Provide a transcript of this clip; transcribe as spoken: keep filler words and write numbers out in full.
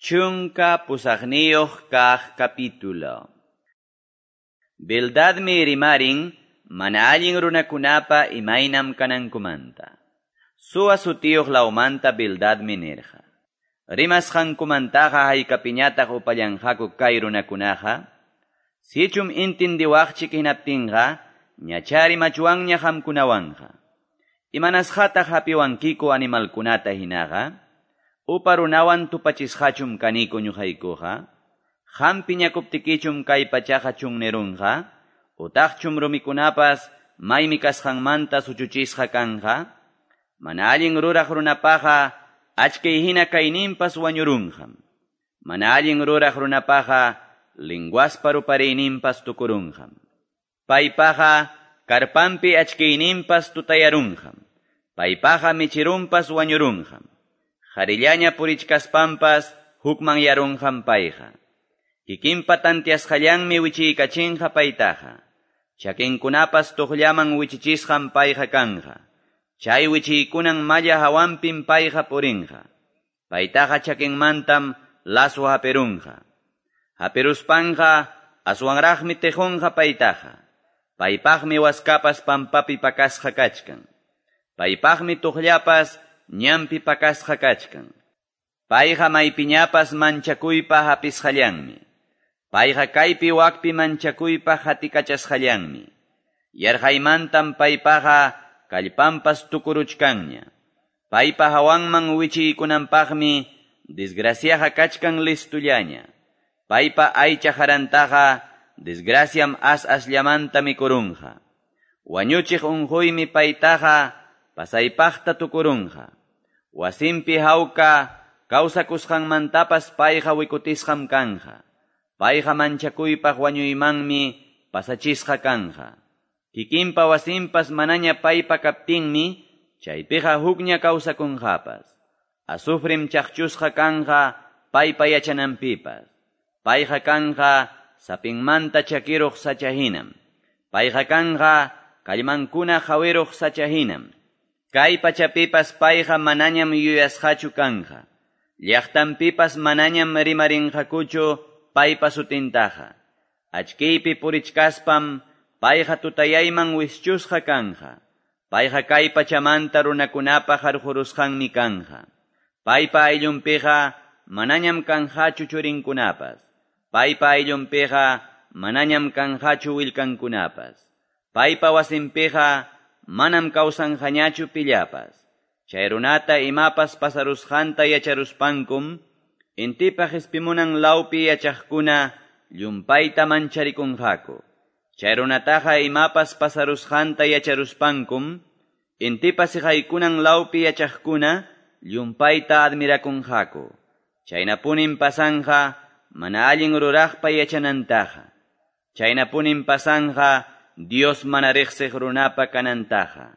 Chunka pusaqniyuq kaq capítulo. Bildadmi rimarin mana allin runakunapa imaynam kanankumanta. Suwa sutiyuq lawmanta Bildadmi nirqa. Rimasqankumantaqa haykapiñataq upallanqaku kay runakunaqa? Sichum intindiwaqchik hinaptinqa, ñacha rimachuwanña qamkunawanqa. Imanasqataq hapiwankiku animalkunata hinaqa? Upa runawan tupachisqachum kaniku ñuqaykuqa? Qam piñakuptikichum kay pachaqa chunnerunqa? Utaqchum rumikunapas maymi kasqanmanta suchuchisqa kanqa? Mana allin ruraq runapaqa achkay hina kayninpas wañurunqam. Mana allin ruraq runapaqa linguaspa rupariyninpas tukurunqam. Paypaqa karpanpi achkayninpas tutayarunqam. Paypaqa michirunpas wañurunqam. Qarillaña purichkaspanpas hukmanyarunqam payqa. Kikinpa tantiasqallanmi wichiykachinqa paytaqa. Chakinkunapas tuqllaman wichichisqam payqa kanqa. Chay wichiykunan malla hawanpim payqa purinqa. Paytaqa chakinmantam lazo haperunqa. Haperuspanqa aswanraqmi tejunqa paytaqa. Paypaqmi waskapas pampapi pakasqa kachkan. Paypaqmi tuqllapas ñanpi pakasqa kachkan. Payqa maypiñapas manchakuypa hapisqallanmi. Payqa kaypi wakpi manchakuypa hatikachasqallanmi. Yarqaymantam paypaqa kallpanpas tukuruchkanña. Paypa hawanman wichiykunanpaqmi desgraciaqa kachkan listullaña. Paypa aycha harantaqa desgraciam as asllamanta mikurunqa. Wañuchiq unquymi paytaqa pasaypaqta tukurunqa. Wasinpi hawka kawsakusqanmantapas payqa wikutisqam kanqa. Payqa manchakuypaq wañuymanmi pasachisqa kanqa. Kikinpa wasinpas manaña paypa kaptinmi chaypiqa hukña kawsakunqapas. Azufrim chaqchusqa kanqa paypa yachananpipas. Payqa kanqa sapinmanta chakiruq sacha hinam. Payqa kanqa kallmankuna hawiruq sacha hinam. Kay pachapipas payqa manañam yuyasqachu kanqa. Llaqtanpipas manañam rimarinqakuchu paypa sutintaqa. Achkiypi purichkaspam payqa tutayayman wischusqa kanqa. Payqa kay pachamanta runakunapa harqurusqanmi kanqa. Paypa ayllunpiqa manañam kanqachu churinkunapas. Paypa ayllunpiqa manañam kanqachu willkankunapas. Paypa wasinpiqa manam kawsanqañachu pillapas. Chay runata imapas pasarusqanta yacharuspankum, intipa qispimunan lawpi yachaqkuna llumpayta mancharikunqaku. Chay runataqa imapas pasarusqanta yacharuspankum, intipa siqaykunan lawpi yachaqkuna llumpayta admirakunqaku. Chaynapunin pasanqa mana allin ruraqpa yachanantaqa. Chaynapunin pasanqa Dios mana riqsiq runapa kanantaqa.